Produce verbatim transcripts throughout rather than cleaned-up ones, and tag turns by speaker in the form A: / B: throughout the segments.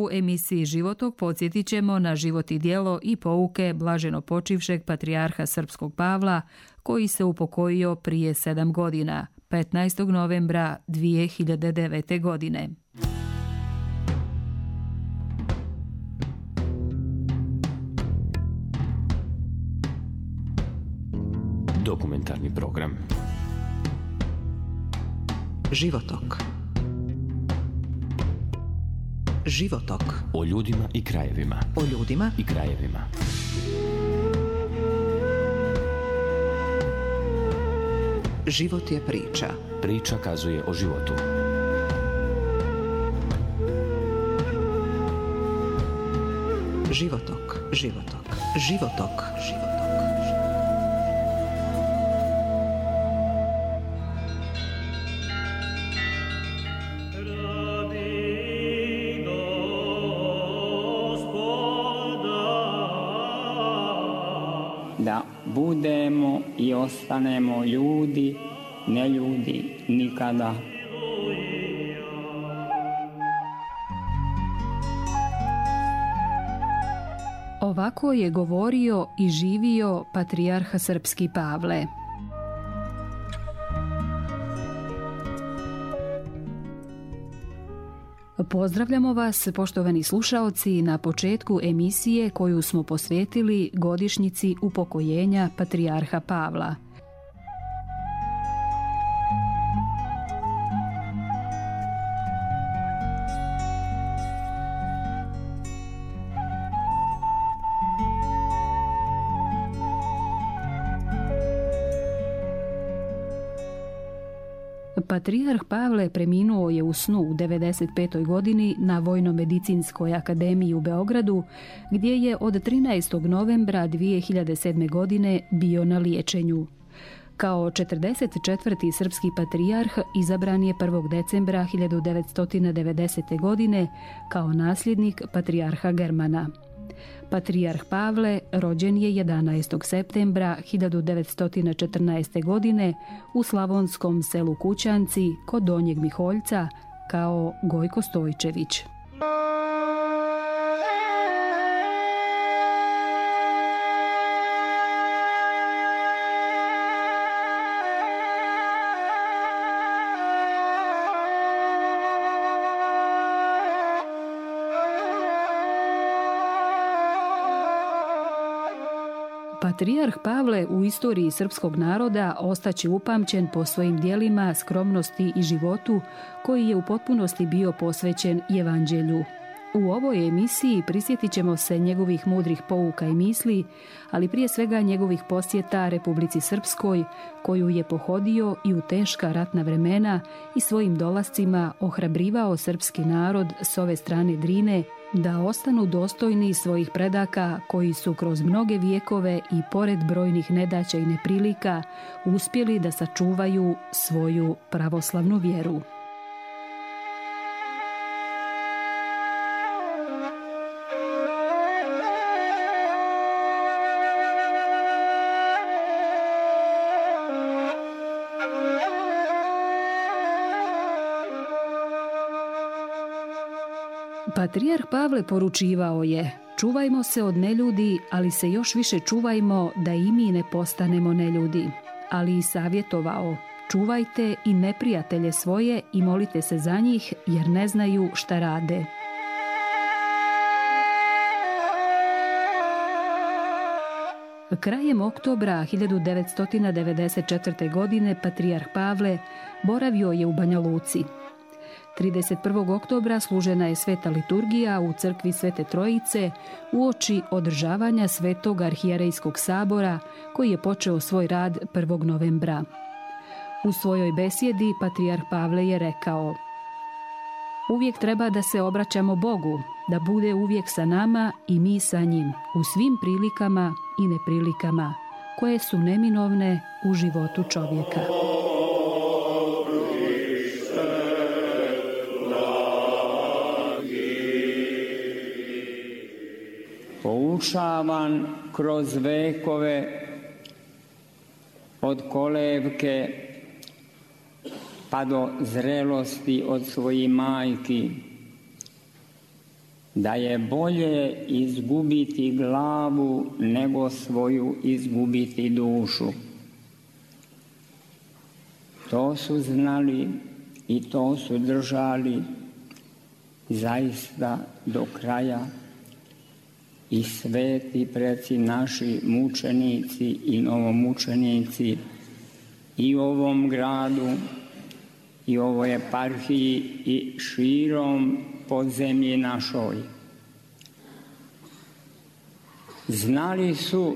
A: U emisiji Životok podsjetit ćemo na život i djelo i pouke blaženo počivšeg patrijarha srpskog Pavla, koji se upokojio prije sedam godina, petnaestog novembra dvije hiljade devete. godine.
B: Dokumentarni program
C: Životok. Životok.
B: O ljudima i krajevima.
C: O ljudima
B: i krajevima.
C: Život je priča.
B: Priča kazuje o životu.
C: Životok. Životok. Životok. Životok.
D: Da budemo i ostanemo ljudi, ne ljudi nikada.
A: Ovako je govorio i živio patrijarh srpski Pavle. Pozdravljamo vas, poštovani slušaoci, na početku emisije koju smo posvetili godišnjici upokojenja patrijarha Pavla. Patrijarh Pavle preminuo je u snu u devedeset petoj. godini na Vojno-medicinskoj akademiji u Beogradu, gdje je od trinaestog novembra dvije hiljade sedme. godine bio na liječenju. Kao četrdeset četvrti srpski patrijarh izabran je prvog decembra hiljadu devetsto devedesete. godine kao nasljednik patrijarha Germana. Patrijarh Pavle rođen je jedanaestog septembra hiljadu devetsto četrnaeste. godine u slavonskom selu Kućanci kod Donjeg Miholjca kao Gojko Stojčević. Patrijarh Pavle u istoriji srpskog naroda ostaće upamćen po svojim djelima, skromnosti i životu koji je u potpunosti bio posvećen Evanđelju. U ovoj emisiji prisjetit ćemo se njegovih mudrih pouka i misli, ali prije svega njegovih posjeta Republici Srpskoj, koju je pohodio i u teška ratna vremena i svojim dolascima ohrabrivao srpski narod s ove strane Drine da ostanu dostojni svojih predaka koji su kroz mnoge vijekove i pored brojnih nedaća i neprilika uspjeli da sačuvaju svoju pravoslavnu vjeru. Patrijarh Pavle poručivao je: čuvajmo se od neljudi, ali se još više čuvajmo da i mi ne postanemo neljudi. Ali i savjetovao: čuvajte i neprijatelje svoje i molite se za njih, jer ne znaju šta rade. Krajem oktobra hiljadu devetsto devedeset četvrte. godine patrijarh Pavle boravio je u Banja Luci. trideset prvog oktobra služena je sveta liturgija u crkvi Svete Trojice uoči održavanja Svetog arhijerejskog sabora koji je počeo svoj rad prvog novembra. U svojoj besjedi patrijarh Pavle je rekao: uvijek treba da se obraćamo Bogu, da bude uvijek sa nama i mi sa njim, u svim prilikama i neprilikama, koje su neminovne u životu čovjeka.
D: Poučavan kroz vekove od kolevke pa do zrelosti od svojih majki, da je bolje izgubiti glavu nego svoju izgubiti dušu. To su znali i to su držali zaista do kraja i sveti preci naši mučenici i novomučenici i u ovom gradu i u ovoj eparhiji i širom po zemlji našoj. Znali su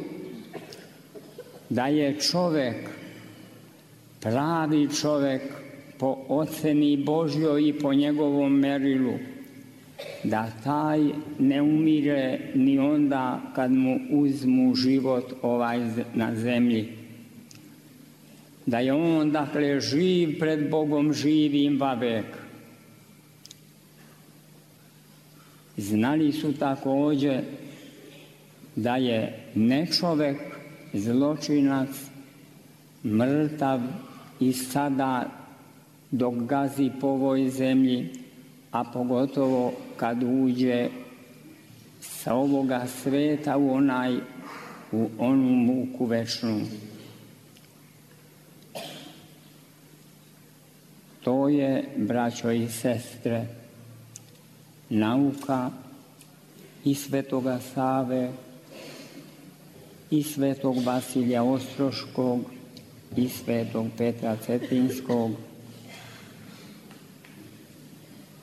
D: da je čovek, pravi čovek po oceni Božjoj i po njegovom merilu, da taj ne umire ni onda kad mu uzmu život ovaj na zemlji. Da je on, dakle, živ pred Bogom živim vavek. Znali su također da je nečovek, zločinac, mrtav i sada dok gazi po ovoj zemlji, a pogotovo kad uđe sa ovoga sveta u onaj, u onu muku večnu. To je, braćo i sestre, nauka i svetoga Save, i svetog Vasilija Ostroškog, i svetog Petra Cetinskog,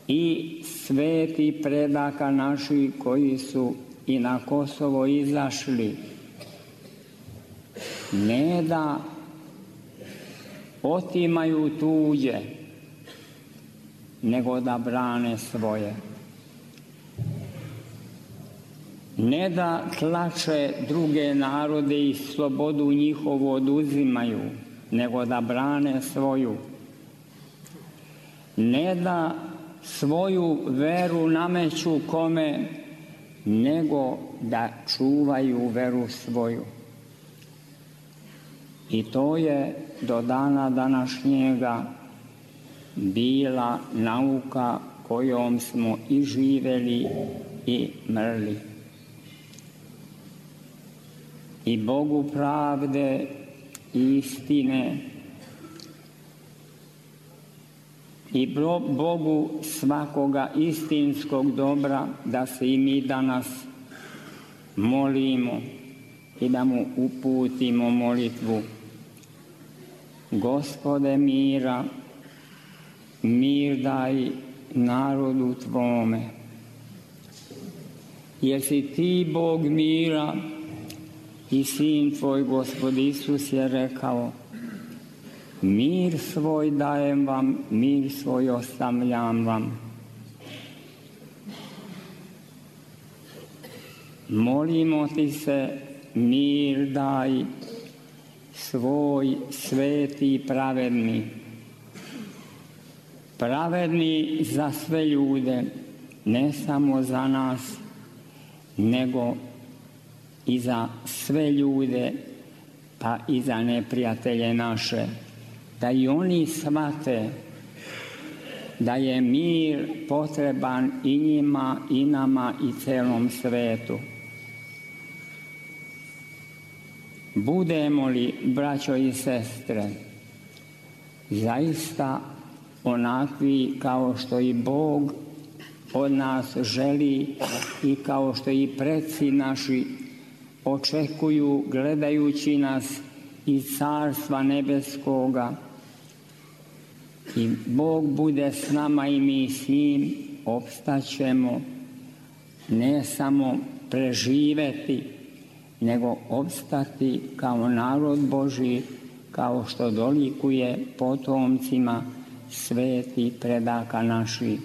D: i sveti predaka naši koji su i na Kosovo izašli, ne da otimaju tuđe, nego da brane svoje. Ne da tlače druge narode i slobodu njihovu oduzimaju, nego da brane svoju. Ne da svoju veru nameću kome, nego da čuvaju veru svoju. I to je do dana današnjega bila nauka kojom smo i živeli i mrli. I Bogu pravde i istine i Bogu svakoga istinskog dobra da se i mi danas molimo i da mu uputimo molitvu. Gospode mira, mir daj narodu tvome. Jer si ti Bog mira i sin tvoj Gospod Isus je rekao: mir svoj dajem vam, mir svoj ostavljam vam. Molimo ti se, mir daj svoj sveti i pravedni. Pravedni za sve ljude, ne samo za nas, nego i za sve ljude, pa i za neprijatelje naše. Da i oni shvate da je mir potreban i njima, i nama, i celom svetu. Budemo li, braćo i sestre, zaista onakvi kao što i Bog od nas želi i kao što i preci naši očekuju gledajući nas iz Carstva nebeskoga, i Bog bude s nama i mi s njim, opstaćemo, ne samo preživeti, nego opstati kao narod Božji, kao što dolikuje potomcima sveti predaka naših.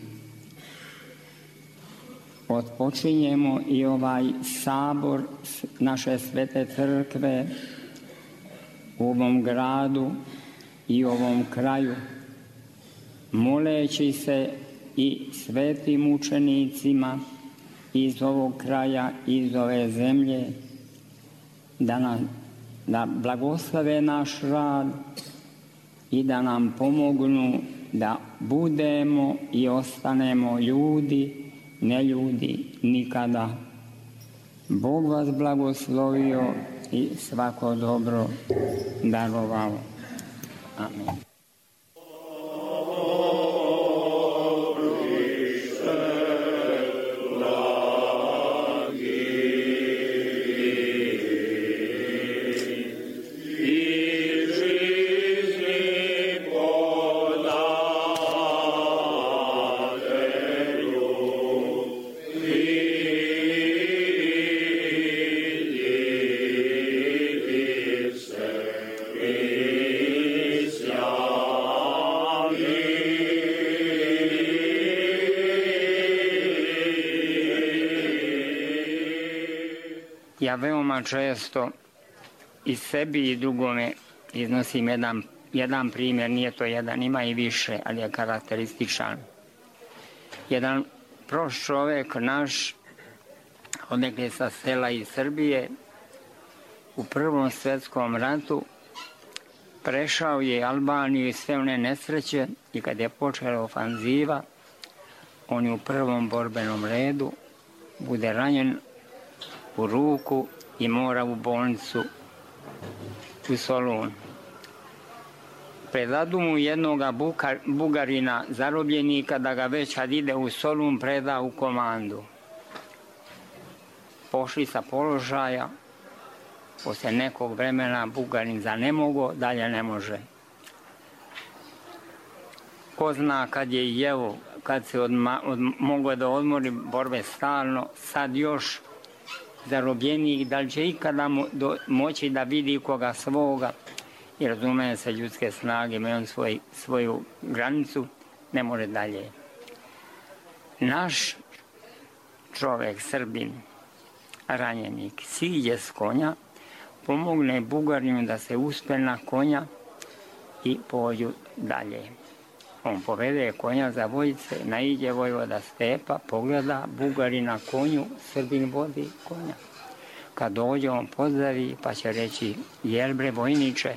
D: Otpočinjemo i ovaj sabor naše svete crkve u ovom gradu i ovom kraju, moleći se i svetim učenicima iz ovog kraja, iz ove zemlje, da nam da blagoslove naš rad i da nam pomognu da budemo i ostanemo ljudi ne ljudi, nikada. Bog vas blagoslovio i svako dobro darovao. Amen. Ja veoma često i sebi i drugome iznosim jedan, jedan primjer, nije to jedan, ima i više, ali je karakterističan. Jedan prost čovjek naš, odnekle sa sela iz Srbije, u Prvom svjetskom ratu prešao je Albaniju i sve one nesreće i kad je počela ofanziva, on je u prvom borbenom redu, bude ranjen u ruku i mora u bolnicu u Solun. Predadu mu jednoga Bukar, Bugarina, zarobljenika, da ga već kad ide u Solun preda u komandu. Pošli sa položaja, poslije nekog vremena Bugarin zanemogo, dalje ne može. Ko zna kad je jevo, kad se odma, od, mogo da odmori borbe stalno, sad još zarobljenik, da li će ikada mo, do, moći da vidi koga svoga, i razume se ljudske snage, ima on svoj, svoju granicu, ne može dalje. Naš čovjek, Srbin, ranjenik, siđe s konja, pomogne Bugarinu da se uspe na konja i pođu dalje. On povede konja za vojice, naiđe vojvoda Stepa, pogleda, Bugari na konju, Srbin vodi konja. Kad dođe, on pozdravi, pa će reći, jel bre vojniče,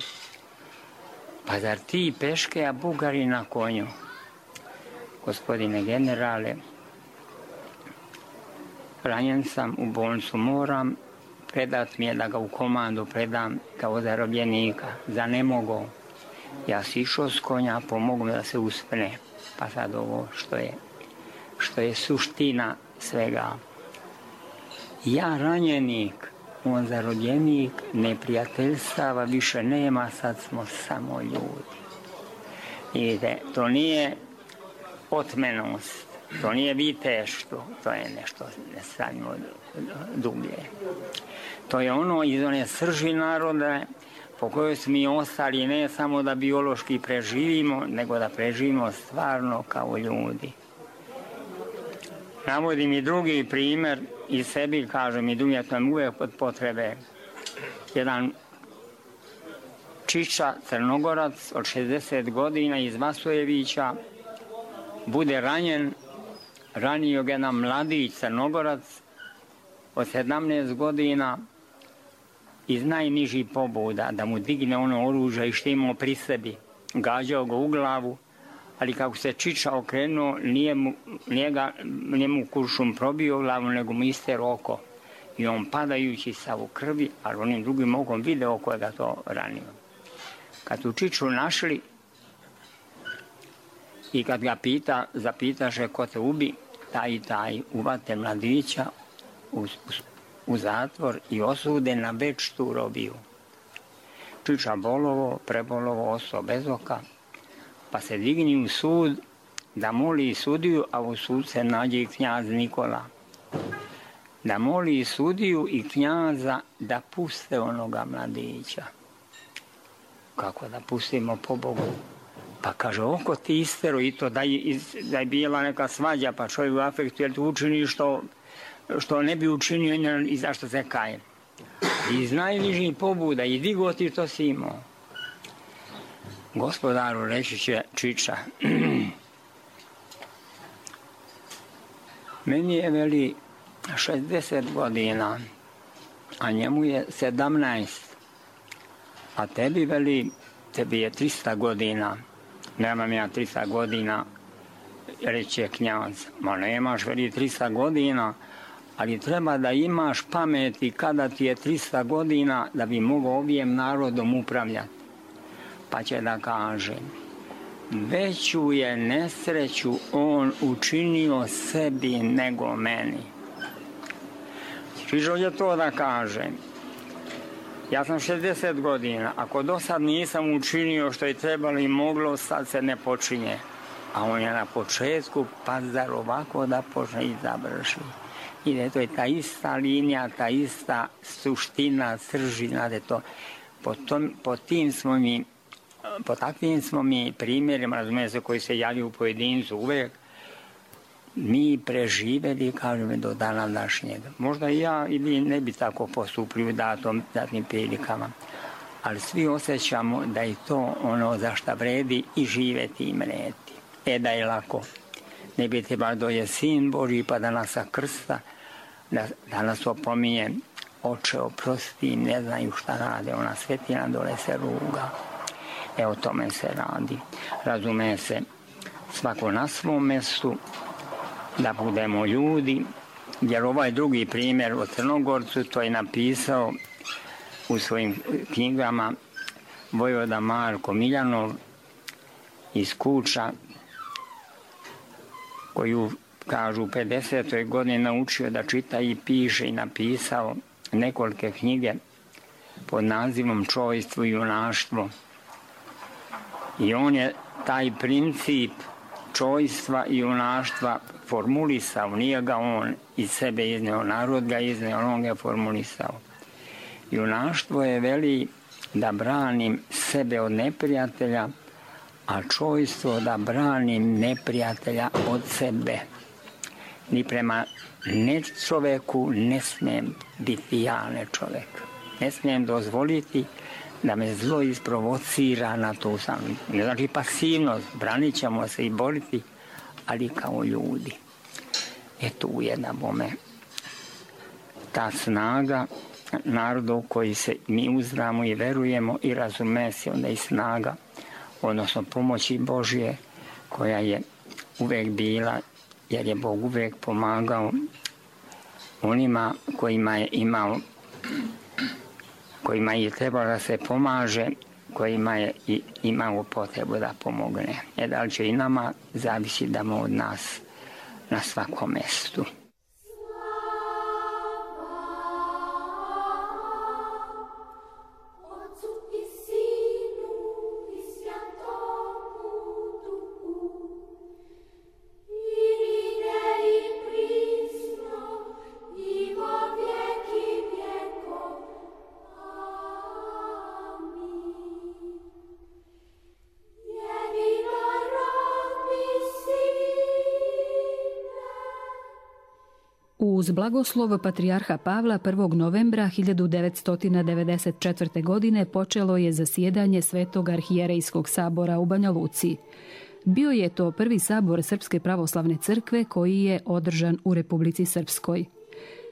D: pa zar ti peške, a Bugari na konju? Gospodine generale, ranjen sam, u bolnicu moram, predat mi je da ga u komandu predam kao zarobljenika, za ne mogu. Ja si išao s konja, pomogu mi da se uspne. Pa sad ovo što je, što je suština svega. Ja ranjenik, on zarobljenik, neprijateljstava više nema, sad smo samo ljudi. Vidite, to nije otmenost, to nije viteštvo, to je nešto nestanjimo dublje. To je ono iz one srži naroda po kojoj smo mi ostali, ne samo da biološki preživimo, nego da preživimo stvarno kao ljudi. Navodim i drugi primjer i sebi, kažem i drugim, to je uvijek pod potrebe. Jedan čiča, Crnogorac od šezdeset godina iz Vasojevića bude ranjen, ranio ga jedan mladić Crnogorac od sedamnaest godina, iz najnižih pobuda, da mu digne ono oružje i što imao pri sebi. Gađao ga u glavu, ali kako se čiča okrenuo, nije mu, nije ga, nije mu kuršum probio glavu, nego mu iste oko. I on padajući sav u krvi, ali onim drugim okom video ko je ga to ranio. Kad tu čiču našli i kad ga pita, zapitaše ko te ubi, taj i taj uvate mladića u, u u zatvor i osude na večnu robiju. Čiča bolovo, prebolovo, ostao bez oka, pa se digni u sud da moli sudiju, a u sud se nađe i knjaz Nikola. Da moli sudiju i knjaza da puste onoga mladića. Kako da pustimo, po Bogu? Pa kaže, oko ti istero i to da je, da je bila neka svađa, pa čovjek u afektu, jer tu učini što što ne bi učinio i zašto se kaje. Iz najnižih pobuda i digo ti to si imao. Gospodaru, reći će čiča, meni je veli šezdeset godina, a njemu je sedamnaest, a tebi veli, tebi je trista godina, nemam ja trista godina, reče knjaz, ma nemaš veli trista godina, ali treba da imaš pameti kada ti je trista godina da bi mogao ovijem narodom upravljati. Pa će da kaže, veću je nesreću on učinio sebi nego meni. Čižo je to da kaže, ja sam šezdeset godina, ako do sad nisam učinio što je trebalo i moglo, sad se ne počinje. A on je na početku, pa zar ovako da počne i završi. I da je to je ta ista linija, ta ista suština, sržina, da je to, po, tom, po tim smo mi, po takvim smo mi primjerima, razumije se, koji se javljaju u pojedincu uvek, mi preživeli, kažem, do dana današnjega. Možda i ja i vi ne bi tako postupili u datom, datnim prilikama, ali svi osjećamo da je to ono za šta vredi i živeti i mreti. E da je lako, ne bi trebalo doje sin Božji pa da nas krsta, da, da nas opominje, oče oprosti, ne znaju šta rade, ona svetina dole se ruga. E o tome se radi. Razume se, svako na svom mjestu, da budemo ljudi, jer ovaj drugi primjer o Crnogorcu to je napisao u svojim knjigama vojvoda Marko Miljanov iz Kuča, koju, kažu, u pedesetoj godini naučio da čita i piše i napisao nekolike knjige pod nazivom Čojstvo i junaštvo. I on je taj princip čojstva i junaštva formulisao, nije ga on iz sebe izneo, narod ga izneo, on ga je formulisao. Junaštvo je, veli, da branim sebe od neprijatelja, a čojstvo da branim neprijatelja od sebe. Ni prema ne čoveku ne smijem biti ja ne čovek. Ne smijem dozvoliti da me zlo isprovocira na to sam. Ne znači pasivnost, branit ćemo se i boriti, ali kao ljudi. E tu je na bome ta snaga naroda u koji se mi uzdravimo i verujemo i razume se onda i snaga, odnosno pomoći Božje koja je uvek bila, jer je Bog uvek pomagao onima kojima je imao, kojima je trebalo da se pomaže, kojima je i imao potrebu da pomogne. E da li će i nama zavisi da od nas na svakom mjestu.
A: Uz blagoslov patrijarha Pavla prvog novembra hiljadu devetsto devedeset četvrte. godine počelo je zasjedanje Svetog arhijerejskog sabora u Banja Luci. Bio je to prvi sabor Srpske pravoslavne crkve koji je održan u Republici Srpskoj.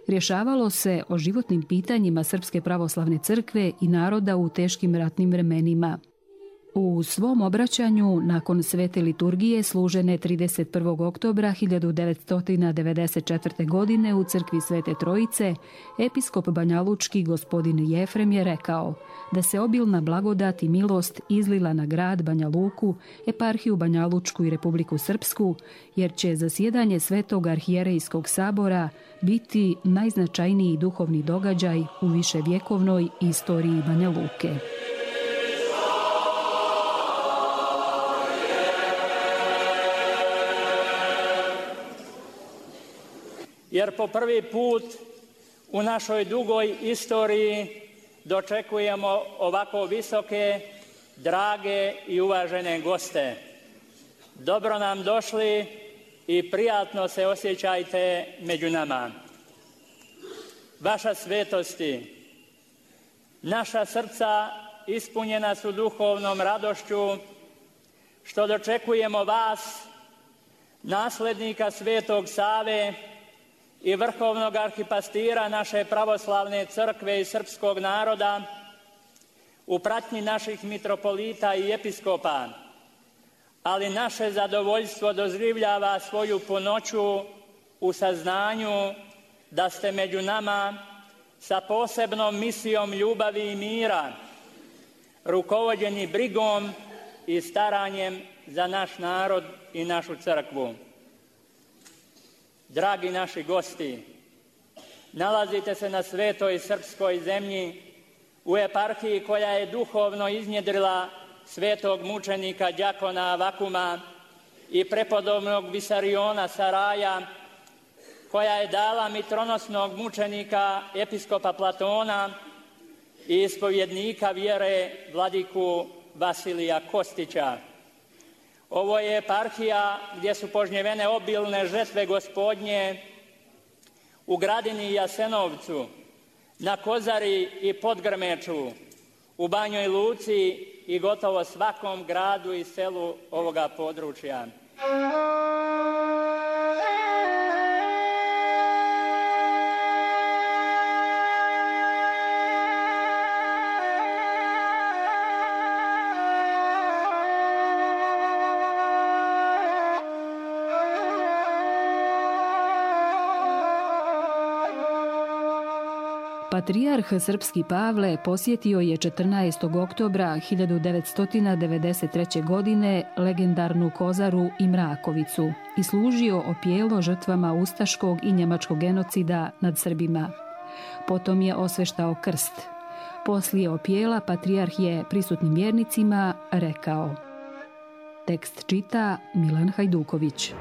A: Rješavalo se o životnim pitanjima Srpske pravoslavne crkve i naroda u teškim ratnim vremenima. U svom obraćanju nakon svete liturgije služene trideset prvog oktobra hiljadu devetsto devedeset četvrte. godine u crkvi Svete Trojice, episkop banjalučki gospodin Jefrem je rekao da se obilna blagodat i milost izlila na grad Banja Luku, eparhiju Banjalučku i Republiku Srpsku, jer će zasjedanje Svetog arhijerejskog sabora biti najznačajniji duhovni događaj u viševjekovnoj istoriji Banja Luke.
E: Jer po prvi put u našoj dugoj istoriji dočekujemo ovako visoke, drage i uvažene goste. Dobro nam došli i prijatno se osjećajte među nama. Vaša svetosti, naša srca ispunjena su duhovnom radošću što dočekujemo vas, naslednika Svetog Save i vrhovnog arhipastira naše pravoslavne crkve i srpskog naroda u pratnji naših mitropolita i episkopa, ali naše zadovoljstvo doživljava svoju punoću u saznanju da ste među nama sa posebnom misijom ljubavi i mira, rukovođeni brigom i staranjem za naš narod i našu crkvu. Dragi naši gosti, nalazite se na svetoj srpskoj zemlji, u eparhiji koja je duhovno iznjedrila svetog mučenika đakona Avakuma i prepodobnog Visariona Saraja, koja je dala mitronosnog mučenika episkopa Platona i ispovjednika vjere vladiku Vasilija Kostića. Ovo je eparhija gdje su požnjevene obilne žetve Gospodnje u Gradini i Jasenovcu, na Kozari i Podgrmeču, u Banjoj Luci i gotovo svakom gradu i selu ovoga područja.
A: Patrijarh srpski Pavle posjetio je četrnaestog oktobra hiljadu devetsto devedeset treće. godine legendarnu Kozaru i Mrakovicu i služio opijelo žrtvama ustaškog i njemačkog genocida nad Srbima. Potom je osveštao krst. Poslije opijela patrijarh je prisutnim vjernicima rekao. Tekst čita Milan Hajduković.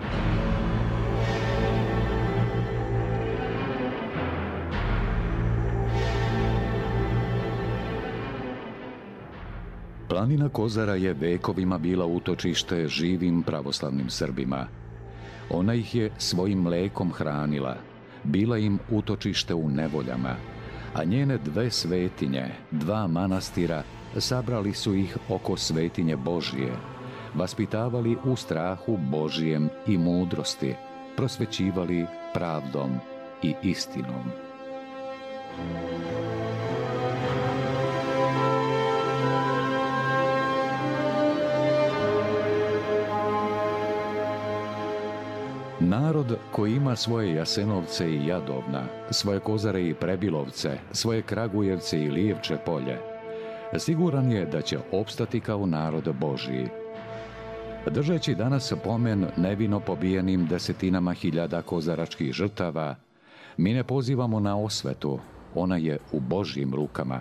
F: Planina Kozara je vekovima bila utočište živim pravoslavnim Srbima. Ona ih je svojim mlekom hranila, bila im utočište u nevoljama, a njene dve svetinje, dva manastira, sabrali su ih oko svetinje Božije, vaspitavali u strahu Božijem i mudrosti, prosvećivali pravdom i istinom. Narod koji ima svoje Jasenovce i Jadovna, svoje Kozare i Prebilovce, svoje Kragujevce i Lijevče polje, siguran je da će opstati kao narod Božiji. Držeći danas pomen nevino pobijenim desetinama hiljada kozaračkih žrtava, mi ne pozivamo na osvetu, ona je u Božjim rukama.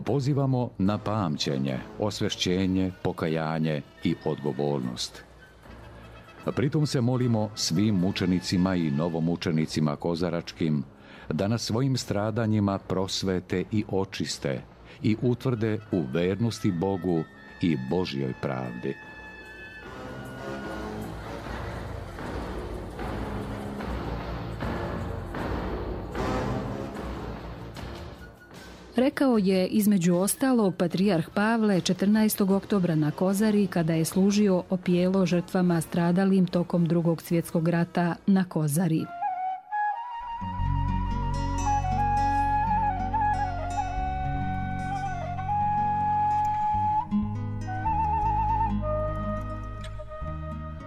F: Pozivamo na pamćenje, osvešćenje, pokajanje i odgovornost. Pritom se molimo svim mučenicima i novomučenicima kozaračkim da na svojim stradanjima prosvete i očiste i utvrde u vernosti Bogu i Božjoj pravdi.
A: Rekao je između ostalog patrijarh Pavle četrnaestog oktobra na Kozari kada je služio opijelo žrtvama stradalim tokom Drugog svjetskog rata na Kozari.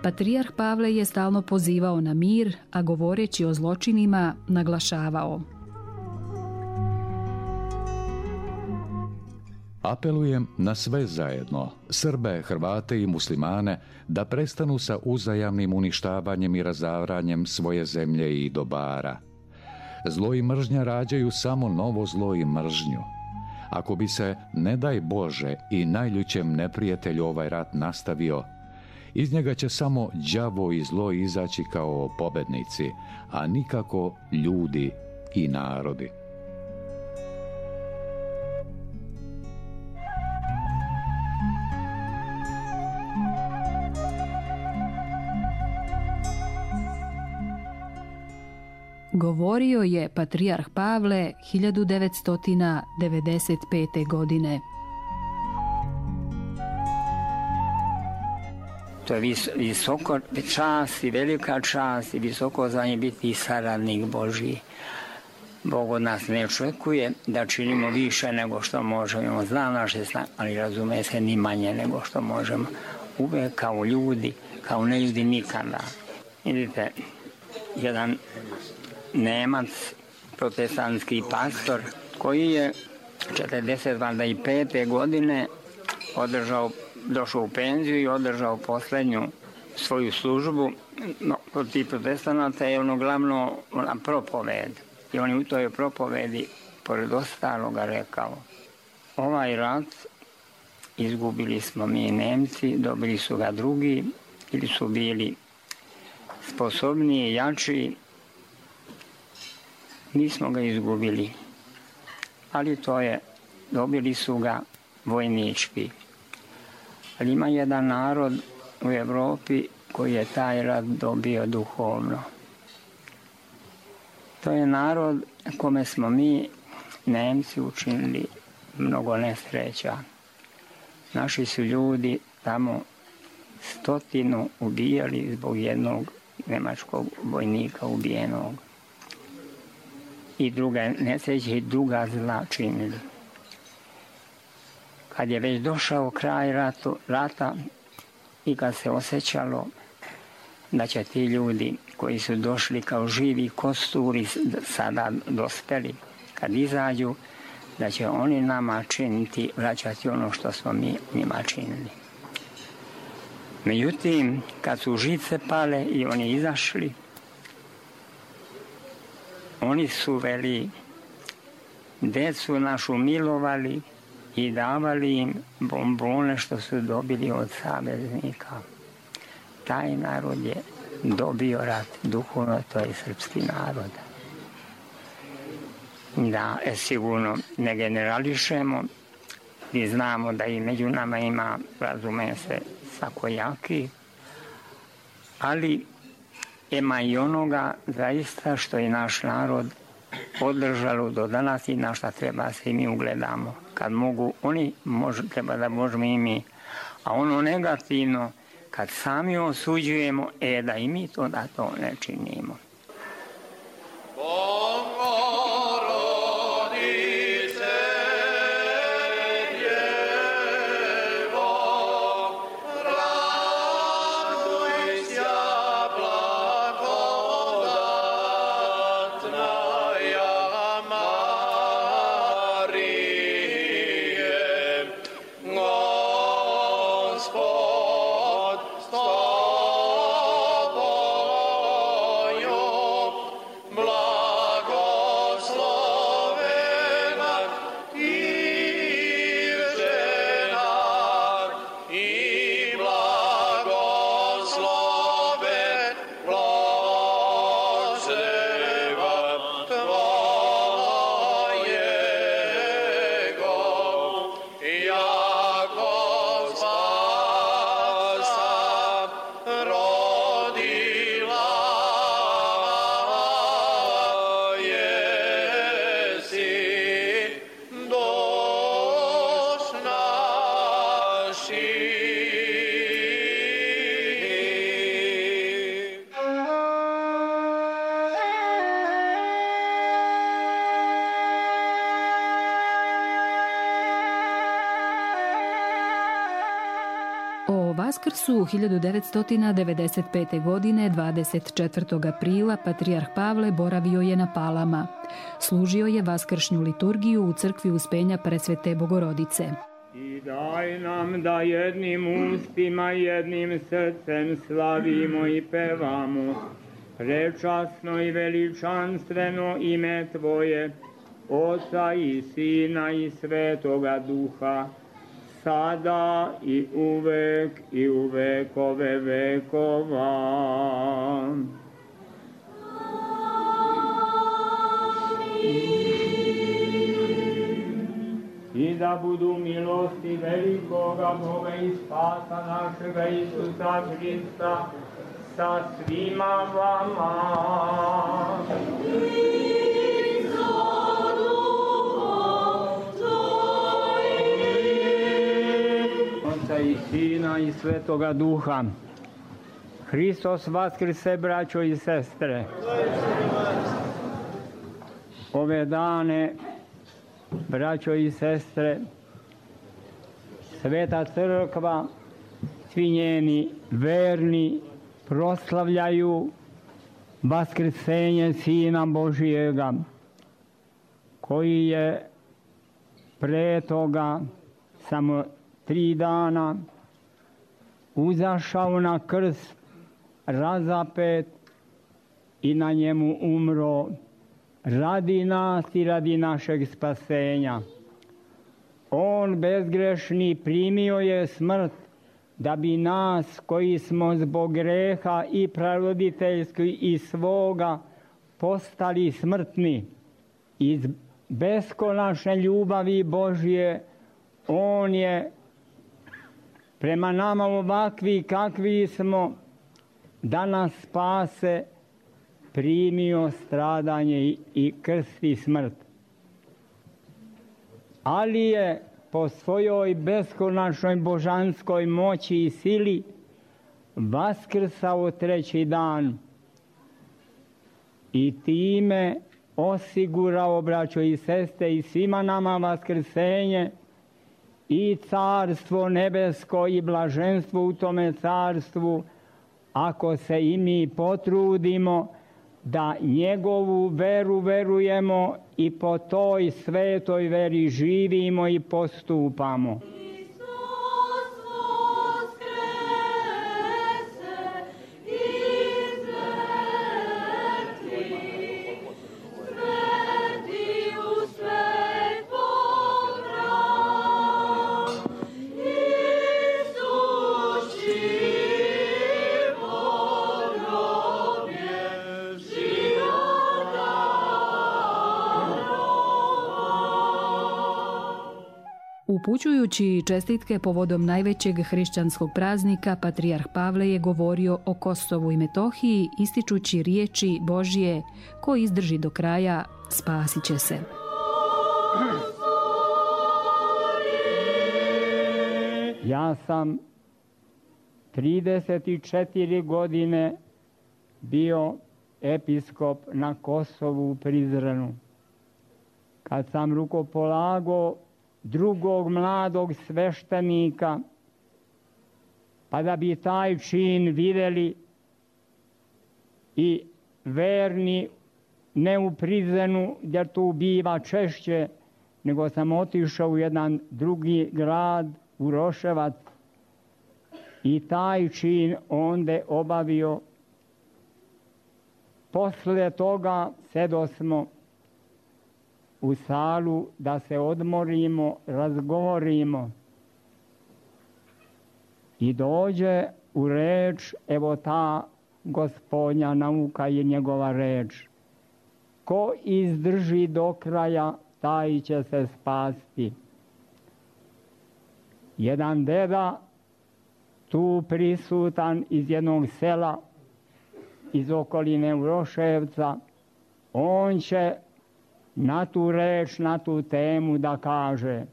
A: Patrijarh Pavle je stalno pozivao na mir, a govoreći o zločinima naglašavao:
F: Apelujem na sve zajedno, Srbe, Hrvate i muslimane, da prestanu sa uzajamnim uništavanjem i razavranjem svoje zemlje i dobara. Zlo i mržnja rađaju samo novo zlo i mržnju. Ako bi se, ne daj Bože, i najljućem neprijatelju ovaj rat nastavio, iz njega će samo đavo i zlo izaći kao pobednici, a nikako ljudi i narodi.
A: Govorio je patrijarh Pavle hiljadu devetsto devedeset pete. godine.
D: To je vis, visoko čast i velika čast i visoko za nje biti saradnik Božji. Bog od nas ne očekuje da činimo više nego što možemo. Zna naše snage, ali razume se ni manje nego što možemo. uvek kao ljudi, kao ne ljudi nikada. Vidite, jedan Nemac, protestantski pastor, koji je četrdeset pete godine održao, došao u penziju i održao poslednju svoju službu, no, protiv protestanata je ono glavno ona propoved. I on je u toj propovedi, pored ostaloga, rekao: ovaj rat izgubili smo mi Nemci, dobili su ga drugi, ili su bili sposobniji, jači. Mi smo ga izgubili, ali to je, dobili su ga vojnički. Ali ima jedan narod u Evropi koji je taj rat dobio duhovno. To je narod kome smo mi, Nemci, učinili mnogo nesreća. Naši su ljudi tamo stotinu ubijali zbog jednog nemačkog vojnika ubijenog. I druga nesreća i druga zla činili. Kad je već došao kraj ratu, rata i kad se osjećalo da će ti ljudi koji su došli kao živi kosturi sada dospeli, kad izađu, da će oni nama činiti, vraćati ono što smo mi njima činili. Međutim, kad su žice pale i oni izašli, oni su veli, decu našu milovali i davali im bombone što su dobili od saveznika. Taj narod je dobio rat, duhovno to je srpski narod. Da, e, sigurno ne generališemo i znamo da i među nama ima, razume se, svakojaki, ali ima i onoga zaista što je naš narod održalo do danas i na šta treba se i mi ugledamo. Kad mogu oni, može, treba da možemo i mi. A ono negativno, kad sami osuđujemo, e da i mi to da to ne činimo.
A: Vaskrsu hiljadu devetsto devedeset pete. godine, dvadeset četvrtog aprila, patrijarh Pavle boravio je na Palama. Služio je vaskršnju liturgiju u crkvi Uspenja Presvete Bogorodice.
G: I daj nam da jednim ustima, jednim srcem slavimo i pevamo prečasno i veličanstveno ime Tvoje, Oca i Sina i Svetoga Duha, sada i uvek i u vekove vekova. I da budu milosti velikoga Boga i Spasa našega Isusa Hrista sa svima vama. I Sina i Svetoga Duha. Hristos vaskrse, braćo i sestre. Ove dane, braćo i sestre, Sveta Crkva
D: svi njeni verni proslavljaju vaskrsenje Sina Božijega, koji je pre toga samo tri dana uzašao na krst, razapet i na njemu umro radi nas i radi našeg spasenja. On bezgrešni primio je smrt da bi nas koji smo zbog greha i praroditeljski i svoga postali smrtni. Iz beskonačne ljubavi Božje on je prema nama ovakvi kakvi smo da nas spase primio stradanje i krst i smrt. Ali je po svojoj beskonačnoj božanskoj moći i sili vaskrsao treći dan i time osigurao, braćo i sestre, i svima nama vaskrsenje i carstvo nebesko i blaženstvo u tome carstvu, ako se i mi potrudimo da njegovu veru verujemo i po toj svetoj veri živimo i postupamo.
A: Upućujući čestitke povodom najvećeg hrišćanskog praznika, patrijarh Pavle je govorio o Kosovu i Metohiji, ističući riječi Božje: ko izdrži do kraja, spasit će se.
D: Ja sam trideset četiri godine bio episkop na Kosovu u Prizrenu. Kad sam rukopolagao drugog mladog sveštenika, pa da bi taj čin vidjeli i verni, ne u Prizrenu, jer tu biva češće, nego sam otišao u jedan drugi grad, u Roševac, i taj čin onda obavio. Posle toga sedosmo u salu da se odmorimo, razgovorimo. I dođe u reč, evo ta Gospodnja nauka je njegova reč: ko izdrži do kraja, taj će se spasti. Jedan deda tu prisutan iz jednog sela, iz okoline Uroševca, on će na tu reč, na tu temu da kaže: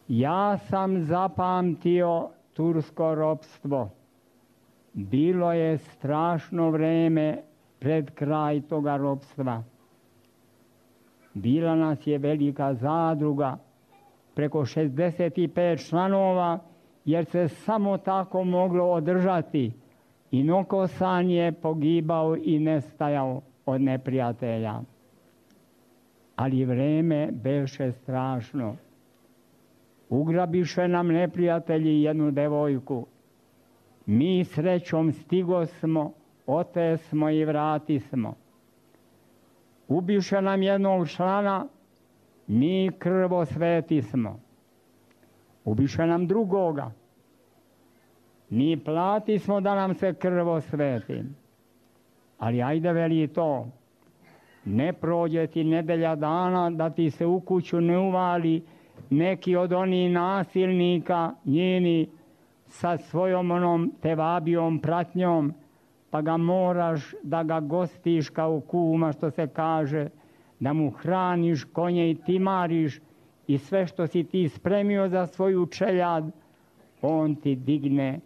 D: ja sam zapamtio tursko ropstvo. Bilo je strašno vreme pred kraj toga ropstva. Bila nas je velika zadruga, preko šezdeset pet članova, jer se samo tako moglo održati. I Nokosan je pogibao i nestajao od neprijatelja. Ali vreme beše strašno. Ugrabiše nam neprijatelji jednu devojku. Mi srećom stigo smo, ote smo i vrati smo. Ubiše nam jednog člana, mi krvo sveti smo. Ubiše nam drugoga, mi plati smo da nam se krvo sveti. Ali ajde, veli to, ne prođe ti nedelja dana da ti se u kuću ne uvali neki od onih nasilnika njeni sa svojom onom tevabijom pratnjom, pa ga moraš da ga gostiš kao kuma, što se kaže, da mu hraniš konje i timariš i sve što si ti spremio za svoju čeljad, on ti digne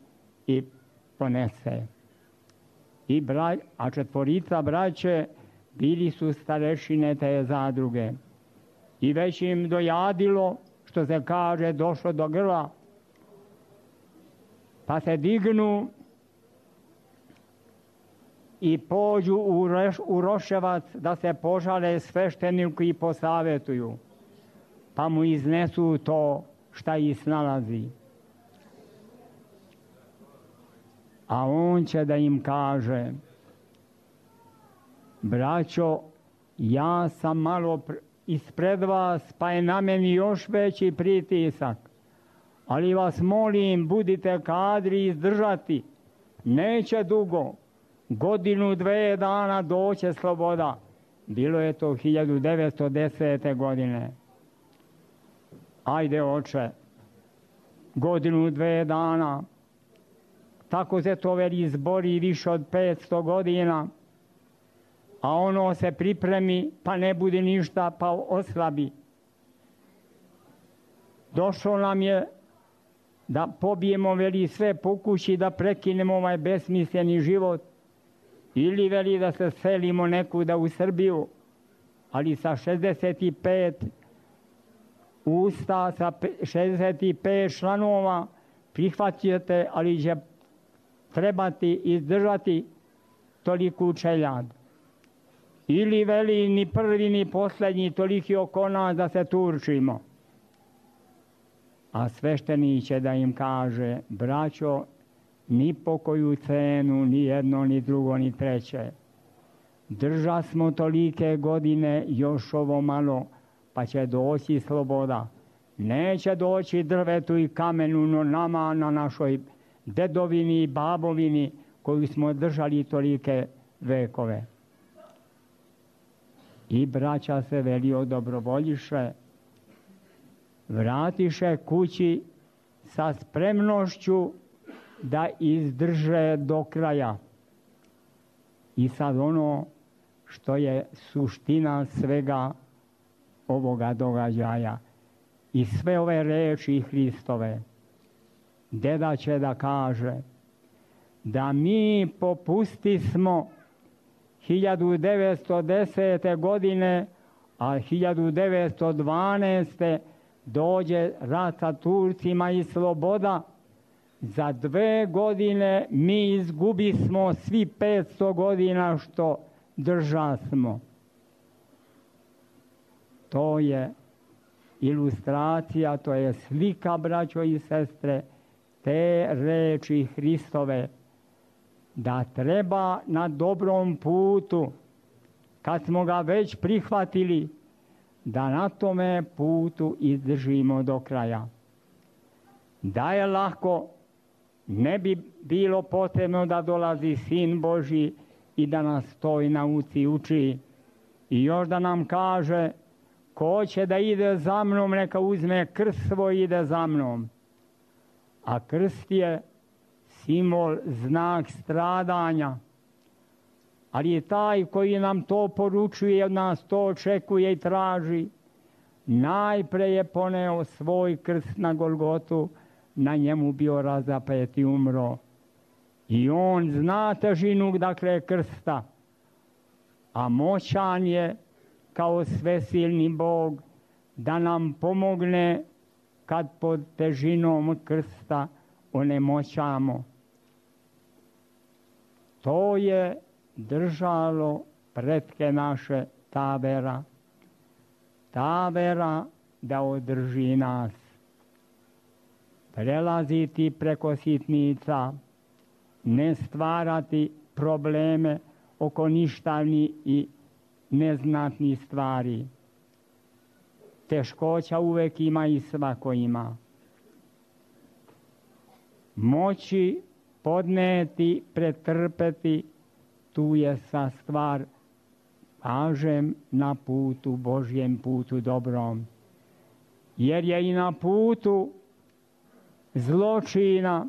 D: i ponese. I bra... A četvorica braće bili su starešine te zadruge. I već im dojadilo, što se kaže, došlo do grla. pa se dignu i pođu u, reš, u Roševac da se požale svešteniku i posavjetuju, pa mu iznesu to šta ih snalazi. A on će da im kaže: braćo, ja sam malo ispred vas, pa je na meni još veći pritisak, ali vas molim, budite kadri izdržati, neće dugo, godinu, dve dana doće sloboda. Bilo je to hiljadu devetsto desete. godine. Ajde, oče, godinu, dve dana, tako se to veli izbori više od petsto godina, a ono se pripremi, pa ne bude ništa, pa oslabi. Došlo nam je da pobijemo, veli, sve po kući, da prekinemo ovaj besmisleni život, ili veli da se selimo nekuda u Srbiju, ali sa šezdeset pet usta, sa šezdeset pet članova prihvatite, ali će trebati izdržati toliku čeljad. Ili veli ni prvi ni posljednji toliki oko nas da se turčimo. A sveštenik će da im kaže: braćo, ni po koju cenu, ni jedno, ni drugo, ni treće. Drža smo tolike godine, još ovo malo, pa će doći sloboda. Neće doći drvetu i kamenu, no nama, na našoj dedovini i babovini koju smo držali tolike vekove. I braća se, veli, odobrovoljiše, vratiše kući sa spremnošću da izdrže do kraja. I sad ono što je suština svega ovoga događaja i sve ove reči Hristove, deda će da kaže da mi popusti smo hiljadu devetsto desete. godine, a hiljadu devetsto dvanaeste. dođe rat sa Turcima i sloboda. Za dve godine mi izgubi smo svi petsto godina što drža smo. To je ilustracija, to je slika, braćo i sestre, te reči Hristove, da treba na dobrom putu, kad smo ga već prihvatili, da na tome putu izdržimo do kraja. Da je lako, ne bi bilo potrebno da dolazi Sin Božji i da nas toj nauci uči. I još da nam kaže: ko će da ide za mnom, neka uzme krst svoj i ide za mnom. A krst je simbol, znak stradanja. Ali taj koji nam to poručuje, od nas to očekuje i traži, najpre je poneo svoj krst na Golgotu, na njemu bio razapet i umro. I on zna težinu, dakle, krsta, a moćan je kao svesilni Bog da nam pomogne kad pod težinom krsta onemoćamo. To je držalo pretke naše, ta vera. Ta vera da održi nas. Prelaziti preko sitnica, ne stvarati probleme oko ništavnih i neznatnih stvari. Teškoća uvek ima i svako ima. Moći podneti, pretrpeti, tu je sa stvar, kažem, na putu, Božjem putu dobrom. Jer je i na putu zločina,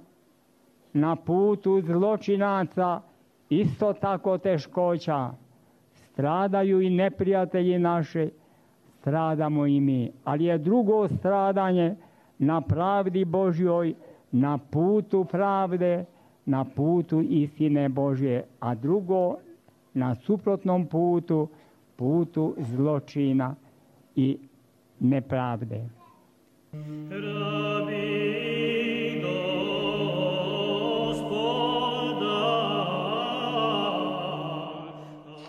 D: na putu zločinaca isto tako teškoća. Stradaju i neprijatelji naši, stradamo i mi. Ali je drugo stradanje na pravdi Božjoj, na putu pravde, na putu istine Božje, a drugo na suprotnom putu, putu zločina i nepravde. Rabino,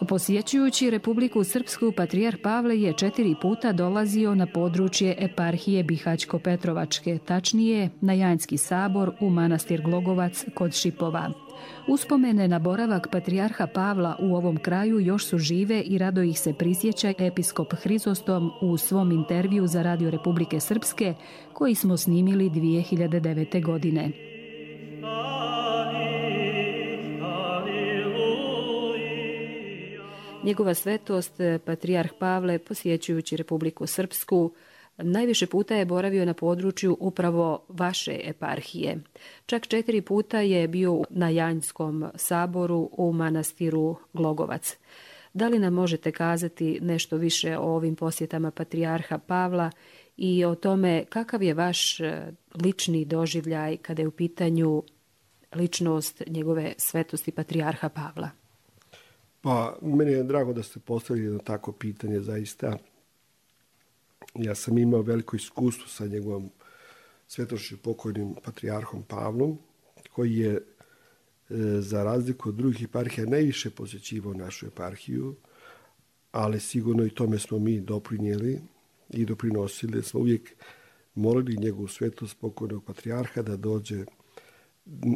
A: Posjećujući Republiku Srpsku, patrijarh Pavle je četiri puta dolazio na područje eparhije Bihaćko-Petrovačke, tačnije na Janjski sabor u manastir Glogovac kod Šipova. Uspomene na boravak patrijarha Pavla u ovom kraju još su žive i rado ih se prisjeća episkop Hrizostom u svom intervju za Radio Republike Srpske, koji smo snimili dvije hiljade devete. godine. Njegova svetost, patrijarh Pavle, posjećujući Republiku Srpsku, najviše puta je boravio na području upravo vaše eparhije. Čak četiri puta je bio na Janjskom saboru u manastiru Glogovac. Da li nam možete kazati nešto više o ovim posjetama patrijarha Pavla i o tome kakav je vaš lični doživljaj kada je u pitanju ličnost njegove svetosti patrijarha Pavla?
H: Pa, meni je drago da ste postavili jedno tako pitanje, zaista. Ja sam imao veliko iskustvo sa njegovom svetošću pokojnim patrijarhom Pavlom, koji je, e, za razliku od drugih eparhija, najviše posjećivao našu eparhiju, ali sigurno i tome smo mi doprinijeli i doprinosili. Smo uvijek molili njegovu svetost pokojnog patrijarha da dođe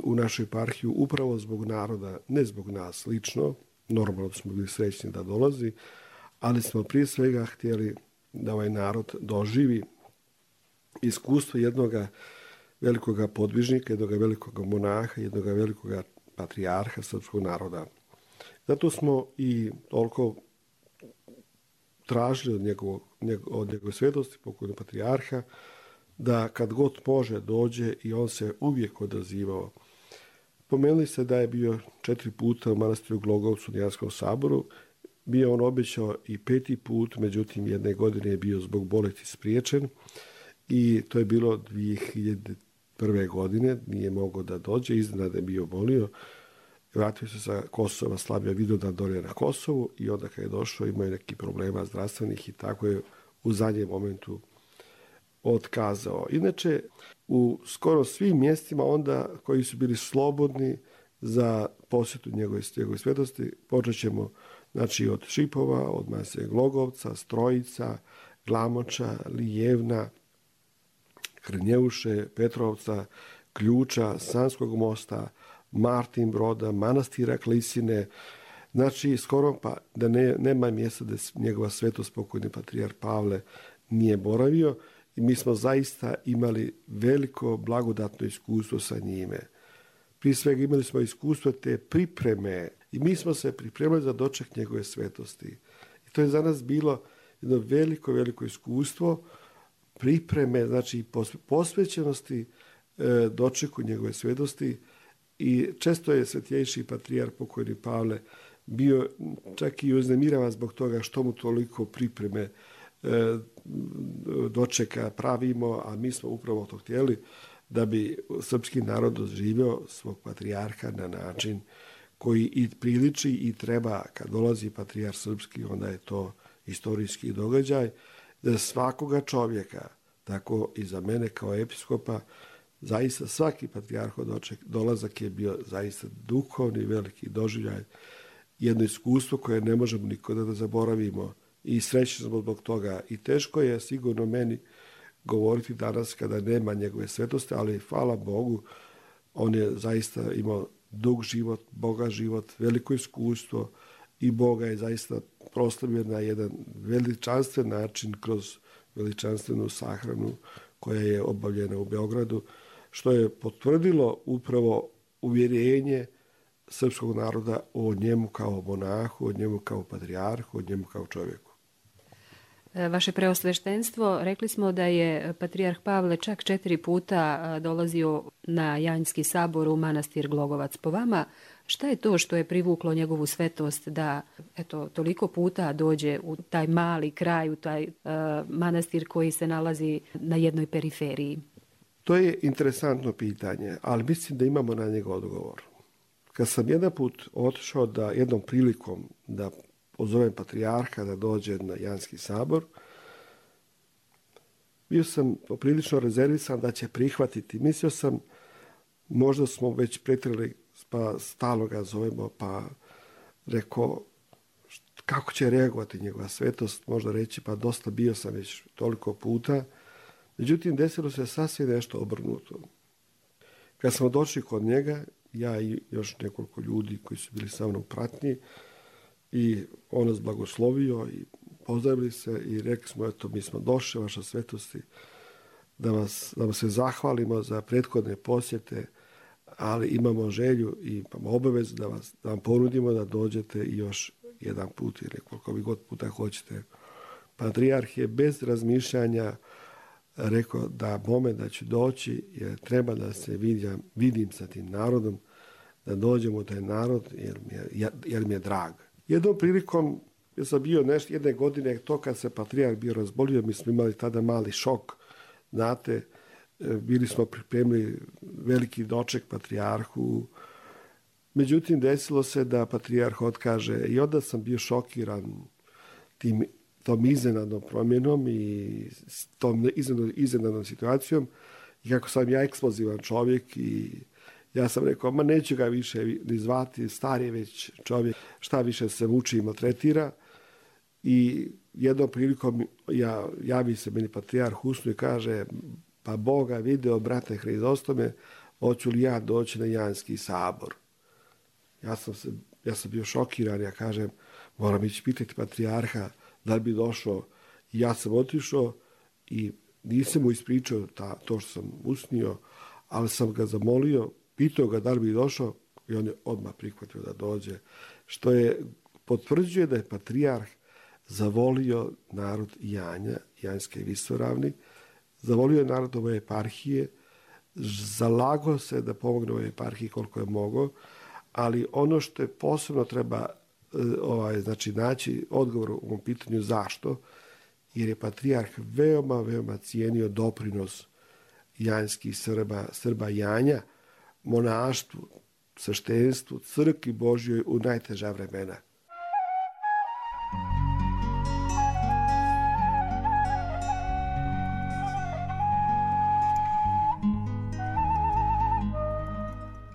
H: u našu eparhiju upravo zbog naroda, ne zbog nas lično. Normalno smo bili srećni da dolazi, ali smo prije svega htjeli da ovaj narod doživi iskustvo jednog velikog podvižnika, jednog velikog monaha, jednog velikog patrijarha srpskog naroda. Zato smo i toliko tražili od, njegovog, od njegove svetosti, pokojnog patrijarha, da kad god može dođe, i on se uvijek odazivao. Pomenuli se da je bio četiri puta u manastiru Glogovcu na Janskom saboru. Bio on obećao i peti put, međutim jedne godine je bio zbog bolesti spriječen i to je bilo dvije hiljade prve. godine, nije mogao da dođe, iznenada je bio bolio. Vratio se sa Kosova, slabio Vidovdan dolje na Kosovu i onda kad je došao imao je neki problema zdravstvenih i tako je u zadnjem momentu otkazao. Inače, u skoro svim mjestima onda koji su bili slobodni za posjetu njegove, njegove svetosti, počet ćemo znači, od Šipova, od Mase Glogovca, Strojica, Glamoča, Lijevna, Hrnjeuše, Petrovca, Ključa, Sanskog mosta, Martin Broda, manastira Klisine. Znači, skoro pa da ne, nema mjesta da njegova svetost pokojni patrijarh Pavle nije boravio. I mi smo zaista imali veliko blagodatno iskustvo sa njime. Prije svega imali smo iskustvo te pripreme i mi smo se pripremali za doček njegove svetosti. I to je za nas bilo jedno veliko, veliko iskustvo pripreme, znači posvećenosti e, dočeku njegove svetosti. I često je svetjejši patrijarh pokojni Pavle bio čak i uznemiravan zbog toga što mu toliko pripreme dočeka pravimo, a mi smo upravo to htjeli da bi srpski narod doživio svog patrijarha na način koji i priliči i treba. Kad dolazi patrijarh srpski, onda je to istorijski događaj za svakoga čovjeka, tako i za mene kao episkopa. Zaista svaki patrijarhov doček, dolazak je bio zaista duhovni veliki doživljaj, jedno iskustvo koje ne možemo nikada da zaboravimo. I srećni smo zbog toga. I teško je sigurno meni govoriti danas kada nema njegove svetosti, ali hvala Bogu, on je zaista imao dug život, bogat život, veliko iskustvo i Boga je zaista proslavio na jedan veličanstven način kroz veličanstvenu sahranu koja je obavljena u Beogradu, što je potvrdilo upravo uvjerenje srpskog naroda o njemu kao monahu, o njemu kao patrijarhu, o njemu kao čovjeku.
A: Vaše preosveštenstvo, rekli smo da je patrijarh Pavle čak četiri puta dolazio na Janjski sabor u manastir Glogovac. Po vama, šta je to što je privuklo njegovu svetost da eto, toliko puta dođe u taj mali kraj, u taj uh, manastir koji se nalazi na jednoj periferiji?
H: To je interesantno pitanje, ali mislim da imamo na njega odgovor. Kad sam jedan put otišao da jednom prilikom da pozovem patrijarha da dođe na Janjski sabor, bio sam poprilično rezervisan da će prihvatiti. Mislio sam, možda smo već pretjerali, pa stalno ga zovemo, pa rekao, kako će reagovati njegova svetost, možda reći pa dosta bio sam već toliko puta. Međutim, desilo se sasvim nešto obrnuto. Kad smo došli kod njega, ja i još nekoliko ljudi koji su bili sa mnom u pratnji, i on nas blagoslovio i pozdravili se i rekli smo, eto, mi smo došli, vaša svetosti, da, vas, da vam se zahvalimo za prethodne posjete, ali imamo želju i imamo obavezu da, vas, da vam ponudimo da dođete i još jedan put ili koliko vi god puta hoćete. Patrijarh je bez razmišljanja rekao da moment da ću doći, jer treba da se vidim, vidim sa tim narodom, da dođem u taj narod jer mi je, jer mi je drag. Jednom prilikom, ja sam bio nešto, jedne godine, to kad se patrijarh bio razbolio, mi smo imali tada mali šok, znate, bili smo pripremili veliki doček patrijarhu, međutim desilo se da patrijarh otkaže i onda sam bio šokiran tim, tom iznenadnom promjenom i tom iznenadnom situacijom i kako sam ja eksplozivan čovjek i ja sam rekao, ma neću ga više ni zvati, star je već čovjek, šta više se muči i maltretira. I jednom prilikom ja, javi se meni patrijarh u snu i kaže, pa Boga video, brate Hrizostome, hoću li ja doći na Janski sabor. Ja sam, se, ja sam bio šokiran, ja kažem, moram ići pitati patrijarha da li bi došao. I ja sam otišao i nisam mu ispričao ta, to što sam usnio, ali sam ga zamolio, pitao ga da li bi došao i on je odmah prihvatio da dođe. Što je potvrđuje da je patrijarh zavolio narod Janja, Janjske Visoravni, zavolio je narod ove eparhije, zalagao se da pomogne ove eparhiji koliko je mogao, ali ono što je posebno treba ovaj, znači, naći odgovor u ovom pitanju zašto, jer je patrijarh veoma, veoma cijenio doprinos janjskih Srba, Srba Janja, monaštvu, sveštenstvu, crkvi Božjoj u najteža vremena.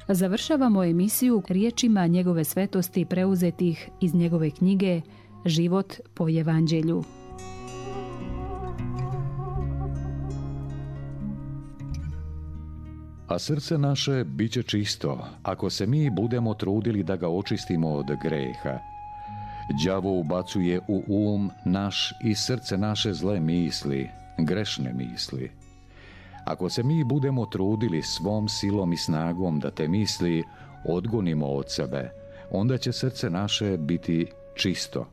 A: Završavamo emisiju riječima njegove svetosti preuzetih iz njegove knjige Život po Evanđelju.
F: A srce naše bit će čisto, ako se mi budemo trudili da ga očistimo od greha. Đavo ubacuje u um naš i srce naše zle misli, grešne misli. Ako se mi budemo trudili svom silom i snagom da te misli odgonimo od sebe, onda će srce naše biti čisto.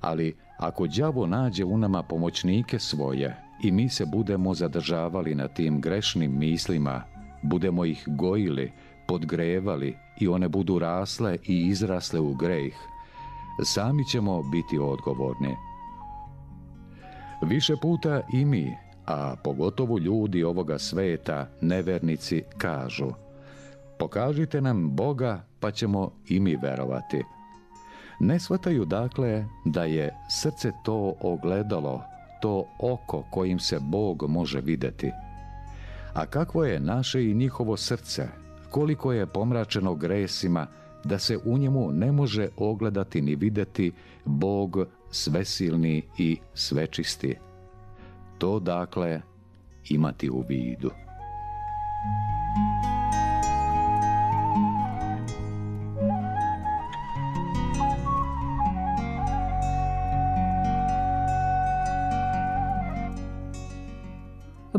F: Ali ako đavo nađe u nama pomoćnike svoje i mi se budemo zadržavali na tim grešnim mislima, budemo ih gojili, podgrevali i one budu rasle i izrasle u greh, sami ćemo biti odgovorni. Više puta i mi, a pogotovo ljudi ovoga sveta, nevernici, kažu: pokažite nam Boga pa ćemo i mi verovati. Ne shvataju dakle da je srce to ogledalo, to oko kojim se Bog može vidjeti. A kakvo je naše i njihovo srce, koliko je pomračeno gresima, da se u njemu ne može ogledati ni vidjeti Bog svesilni i svečisti. To dakle imati u vidu.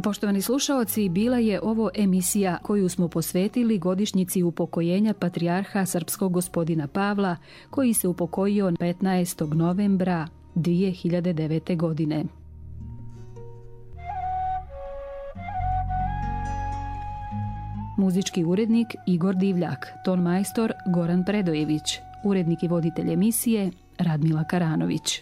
A: Poštovani slušaoci, bila je ovo emisija koju smo posvetili godišnjici upokojenja patrijarha srpskog gospodina Pavla, koji se upokojio petnaestog novembra dvije hiljade devete. godine. Muzički urednik Igor Divljak, ton majstor Goran Predojević, urednik i voditelj emisije Radmila Karanović.